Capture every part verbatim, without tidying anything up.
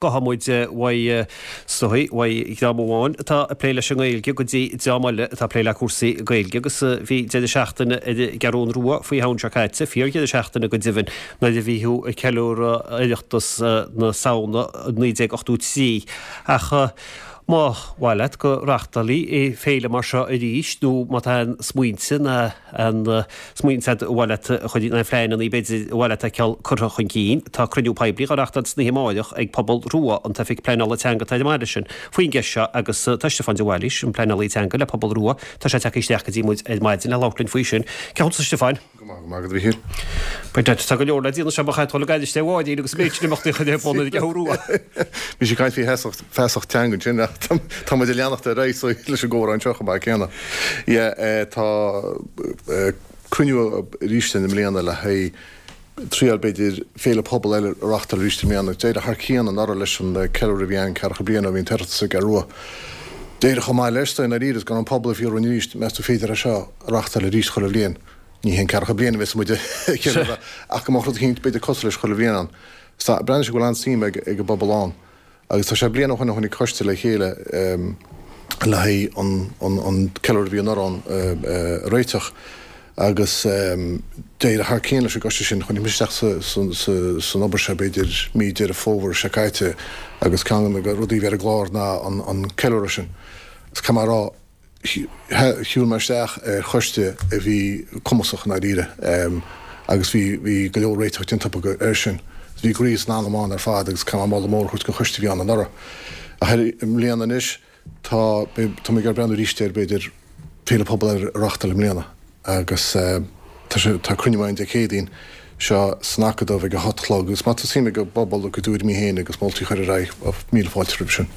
Gabhfaidh muid uaidh is dóigh, uaidh dream amháin atá ag plé leis an nGaeilge go dtí dream eile atá ag plé le cúrsaí Gaeilge agus bhí deireadh seachtaine ar an gCeathrún Rua faoi shamhain seo caite, fíordheireadh seachtaine go deimhin, nuair a bhí tú ag ceiliúradh Oireachtas na Samhna naoi déag ochtó trí. Ach má mhaith leat go reáchtálfaí féile mar seo arís nó má tá aon smaointe ná aon smaointe agat ar mhaith leat a chur, nó pleananna b'fhéidir ar mhaith leat a fheiceáil curtha chun cinn. Tá cruinniú poiblí á reáchtáil san oíche amáireach ag Pobal Rua, an tOifig Pleanála Teanga atá ar an mbaile sin, faoin gceist seo agus tá Stiofán de Bhailís, an pleanálaí teanga le Pobal Rua, tá sé tagtha isteach go dtí muid ar maidin le labhairt linn faoi sin. Cén chaoi a Stiofáin? Go maith, go maith agat a Mhíchíl. Beidh, tá go leor le déanamh, sea, ba chaith dul ag airist ar Mháirín agus an méid sin imeachtaí a chur ar bun ar an gCeathrú Rua. Bhí sí ag caint faoi feasacht, feasacht teanga ansin ach tá muid ag leanacht ar aghaidh leis an gcomhrá anseo chomh maith céanna. Yeah, tá cruinniú arís i mbliana le haghaidh triail b'fhéidir féile pobail eile a reáchtáil arís i mbliana. D'éirigh thar cionn anuraidh leis an ceiliúradh a bhí ann ceathracha bliain ó bhí an tOireachtas sa gCeathrú Rua. D'éirigh chomh maith leis, i ndáiríre, is go raibh an pobal ag fiafraí arís, meas tú féidir é seo a reáchtáil arís chuile bhliain? Ní haon ceathracha bliain a bheas muid ag ceiliúradh ach go mbeadh rud eicínt b'fhéidir cosúil leis chuile bhliain ann. Breathnaíonn sé go bhfuil an-suim ag an bpobal ann. Agus tá sé bliain ó shoin a tháinig coiste le chéile le haghaidh an ceiliúradh a bhí anuraidh ann a réiteach agus d'éirigh thar cionn leis an gcoiste sin. Tháinig mise isteach san obair seo b'fhéidir mí Deireadh Fómhair seo caite agus ceann de na rudaí a bhí ar an gclár ná an ceiliúradh sin. Is caithfidh mé a rá, Shiúil mé isteach ar choiste a bhí cumasach i ndáiríre agus bhí bhí go leor réiteach déanta acu air sin. Bhí groí is anam ann ar fad agus caithfidh mé moladh mór a thabhairt don choiste a bhí ann anuraidh. Ach i mbliana anois tá tá mé ag breathnú arís ar b'fhéidir féile pobail eile a reáchtáil i mbliana agus tá sé tá cruinniú ann Dé Céadaoin seo san Acadamh ag a hocht a chlog agus má tá suim ag an bpobal a gcuid tuairimí féin agus moltaí a chur ar aghaidh, míle fáilte roimhe sin.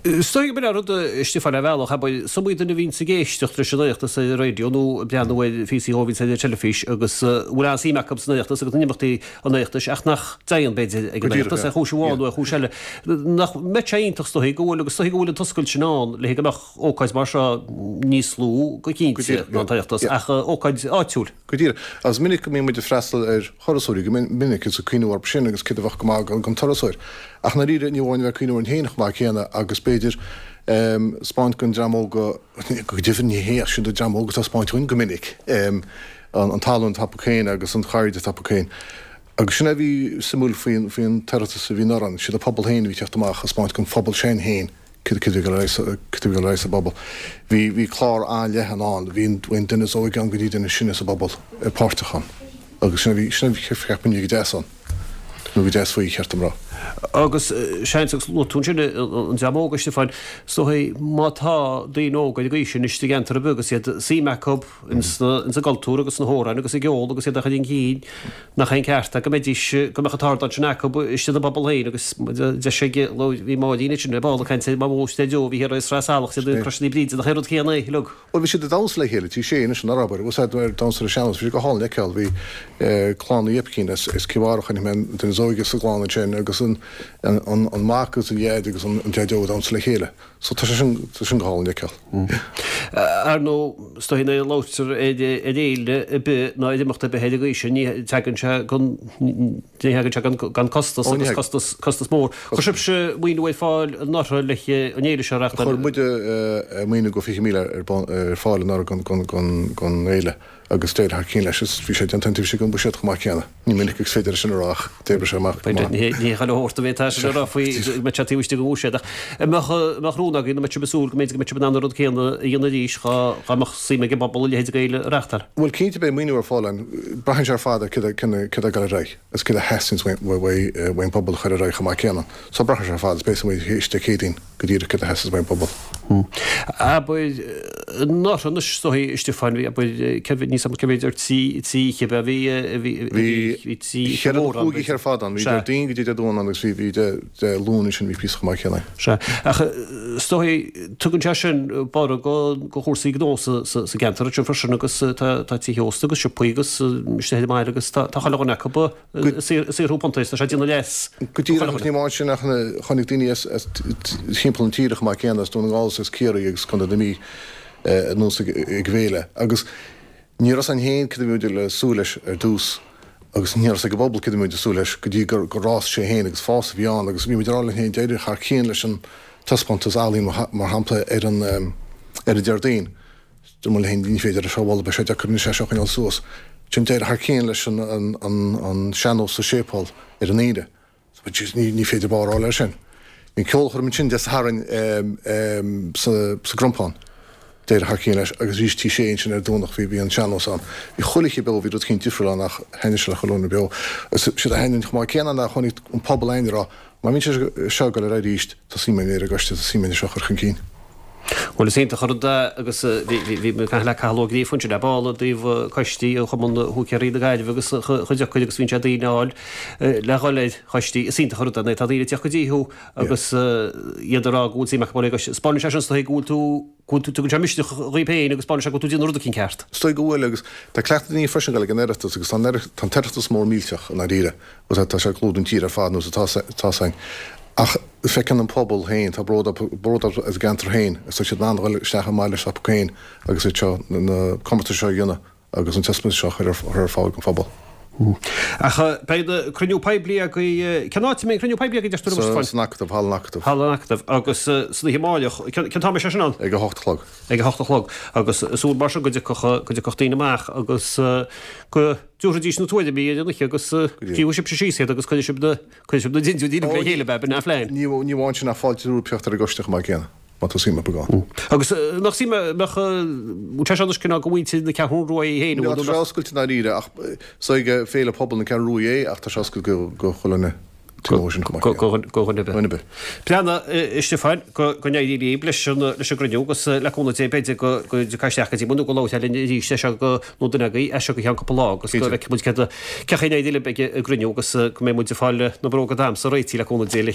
Is dóigh gurb in an rud, a Stiofáin, ar bhealach, abair, is iomaí duine a bhíonns ag éisteacht leis an Oireachtas ar an raidió nó ag breathnú ar phíosaí dhó a bhíonns ar an teilifís agus a bhfuil an-suim acu san Oireachtas agus in imeachtaí an Oireachtais ach nach dtéann, b'fhéidir, ag an Oireachtas ar chúis amháin nó ar chúis eile. Nach mbeadh sé iontach is dóigh go bhfuil, agus is dóigh go bhfuil an t-oscailt sin ann le go mbeadh ócáid mar seo níos lú go cinnte ná an tOireachtas ach ócáid áitiúil. Go díreach. Agus is minic go mbíonn muid ag freastal ar thurasóirí, go minic, is ag cuimhniú orthu sin agus céard a bheadh go maith don turasóir. Ach i ndáiríre, ní amháin a bheith ag cuimhniú orainn féin chomh maith céanna agus b'fhéidir 'spáint don dream óg, go deimhin ní hé ach sin don dream óg atá ag 'spáint dhúinn go minic, an tallann atá acu féin agus an chairde atá acu féin. Agus sin é a bhí suimiúil faoin tOireachtas a bhí anuraidh, siad an pobal féin a bhí ag teacht amach ag 'spáint don phobal sin féin. Cad a bhí ag dul ar aghaidh sa bpobal. Bhí bhí clár an-leathan ann. Bhí an duine is óige ann go dtí duine is sine sa bpobal páirteach ann. Agus sin a bhí sin a cheap muidne go deas ann. Nó go deas faoi, cheart dom rá. Agus seans agus luaigh tú ansin an dream óg, a Stiofáin, is dóigh má tá daoine óga ar an gcaoi sin istigh i gceantar ar bith agus iad suim acu ins an gcultúr agus sna hamhráin agus i gceol agus iad a chur chun cinn, Nach é an ceart é go mbeidís, go mbeadh an t-ardán sin acu istigh ina bpobal féin agus deis ag, bhí Máirín ansin ar ball ag caint ar Mamó is Daideo a bhí thiar i Sraith Salach, iad ag Crois Naomh Bríde, nach é an rud céanna é uilig? Bhuel bhí siad ag damhsa le chéile, Tigh Sé anois an abair, bhfuil a fhios agat, ag damhsa ar an sean-nós, bhí sé go hálainn le feiceáil, bhí clann Uí Oipcín as Cill Bharra, chonaic mé an duine is óige sa gclann ansin agus an mac agus an dhaid agus an daideo ag damhsa le chéile. So tá sé sin, tá sin go hálainn le feiceáil. Ar ndóigh, is dóigh nuair a labhraítear ar fhéile ar bith ná ar imeacht ar bith ar an gcaoi sin, ní tagann sé gan, ní thagann sé gan, gan costas agus costas, costas mór. Chuir sibhse maoiniú ar fáil anuraidh le an fhéile seo a reáchtáil? Chuir muide maoiniú go fiche míle ar bun, ar fáil anuraidh don, don, don, don fhéile. Agus d'éirigh thar cionn leis is bhí sé déanta iontaoibh den bhuiséad chomh maith céanna. Ní minic is féidir é sin a rá ach d'oibrigh sé amach go maith. Ní hé chuile shórt a bhféadfá sin a rá faoi go mbeadh sé taobh istigh den bhuiséad ach an mbeadh an mbeadh rún agaibh nó an mbeadh sibh ag súil go mb'fhéidir go mbeadh sibh in ann an rud céanna a dhéanamh arís dhá dhá mbeadh suim ag an bpobal a leithéid de fhéile a reáchtáil? Bhuel cinnte beidh maoiniú ar fáil ann. Braitheann sé ar fad ar céard a céard atá ag dul ar aghaidh agus céard a theastaíonns uaidh an bpobal a chur ar aghaidh chomh maith céanna. So braitheann sé ar fad is beidh a fhios againn théis Dé Céadaoin. go díreach céard a theastas uaidh an bpobal. Abair, anuraidh anois is dóigh, a Stiofáin, bhí, abair, cé mhéad, níl 's agam cé mhéad ar trí, trí oíche, bhí, bhí, bhí, bhí trí oíche Bhí mhór ann, cúig oíche ar fad ann, bhí Déardaoin go dtí Dé Domhnaigh ann agus bhí, bhí Dé, Dé Luain ansin, bhí píosa chomh maith céanna. Sea, ach is dóigh, tugann sé sin borradh go, go chúrsaí gnó sa, sa, sa gceantar ansin freisin agus tá, tá tithe ósta agus siopaí agus istigh ar an mbaile agus tá, tá chuile dhuine acu ag saothrú puntaí, tá sé ag déanamh leas. Go díreach, agus ní amháin sin ach tháinig daoine as timpeall na tíre chomh maith céanna, as Dún na nGall is as Ciarraí agus Contae na Mí anuas ag an bhféile. Agus ní raibh a fhios againn féin cad a bhí muid le súil leis ar dtús Agus ní raibh a fhios ag an bpobal céard a bhí muid ag súil leis go dtí gur gur fhás sé féin agus fás a bhí ann agus bhí muid ag rá linn féin d'éirigh thar cionn leis an taispeántas ealaíon mar shampla ar an ar an Déardaoin. Dúirt muid linn féin ní féidir é seo a mholadh beidh sé deacair anois é seo a choinneáil suas. Ansin d'éirigh thar cionn leis an an an sean-nós sa séipéal ar an Aoine. Ní ní féidir barr a fháil air sin. Bhí an ceolchoirm ansin Dé Sathairn sa sa gCrompán. D'éirigh thar cionn leis agus arís Tí Sé ansin ar Domhnach bhí bhí an sean-nós ann. Bhí chuile oíche beo, bhí rud eicínt difriúil ann ach thaitnigh sé le chuile dhuine beo. Is séard a thaitníonn chomh maith céanna ná chonaic an pobal againn ag rá, má bhíonn sé seo ag dul ar aghaidh arís, tá suim againn ar an gcoiste, tá suim againn é seo a chur chun cinn. Bhuel is iontach an rud é agus bhí bhí bhí mé ag caint le Cathal Ó Gríofa ansin le ball i dtaobh coistí an Chumann Húicéirí na Gaillimhe agus chuid acu agus bhíonn sé daoine a fháil le dhul ar choistí. Is iontach an rud é nuair atá daoine ag teacht go dtí thú agus iad ag rá go bhfuil suim acu agus 'spáineann sé sin is dóigh go bhfuil tú go bhfuil tú tugann sé misneach dhaoib féin agus 'spáineann sé go bhfuil tú ag déanamh rud eicínt ceart. Is dóigh go bhfuil agus tá cleachtadh daoine freisin ag dul ag an Oireachtas agus tá an tá an tOireachtas mór millteach i ndáiríre agus tá sé ag clúdú an tír ar fad nó tá tá sé ach feiceann an pobal féin tá bród bród as a gceantar féin agus tá siad in ann a dhul isteach i mbaile s'acu féin agus iad seo na comórtais seo a dhéanamh agus an taispeántas seo a chur ar fáil don phobal. Ach beidh cruinniú poiblí agaibh, cén áit a mbeidh an cruinniú poiblí agaibh, deir tú, a Stiofáin? San Acadamh, Halla an Acadaimh. Halla an Acadaimh. Agus san oíche amárach, cén t-am é sin ann? Ag a hocht a chlog. Ag a hocht a chlog. Agus súil mar sin go dtiocfadh, go dtiocfadh daoine amach agus go dtabharfaidís na tuairimí ar an oíche agus scríobhadh sibhse síos iad agus cuirfidh sibh na, cuirfidh sibh na dintiúirí le chéile, b'in an phlean. Ní amháin sin ach fáilte roimh theacht ar an gcoiste chomh maith céanna. Má tá suim acu ann. Agus nach suim a mbeadh, bhfuil sé seo anois cineál do mhuintir na Ceathrún Rua í féin, an bhfuil? Tá sé oscailte i ndáiríre ach is ag Féile Pobail na Ceathrún Rua é ach tá sé oscailte go chuile dhuine taobh amuigh sin chomh maith céanna. Go dhuine ar bith. Dhuine ar bith. Breathnaigh, a Stiofáin, go n-éirí libh leis an gcruinniú agus le cúnamh Dé b'fhéidir go dtiocfá isteach go dtí muid nó go labhrófá linn arís é seo go nó duine agaibh as seo go ceann cúpla lá agus go bhfeicfidh muid céard a, cén chaoi a n-éireoidh libh ag an gcruinniú agus go mbeidh muid ag fáil na bróga damhsa réitithe le cúnamh Dé le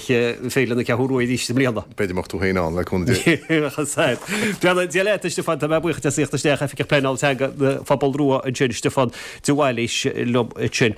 Féile na Ceathrún Rua arís i mbliana. B'fhéidir go mbeadh tú féin ann le cúnamh Dé. Breathnaigh, Dia leat, a Stiofáin, tá mé buíoch as a thíocht isteach, Oifigeach Pleanála Teanga na Phobail Rua ansin, Stiofán de Bhailís liom ansin.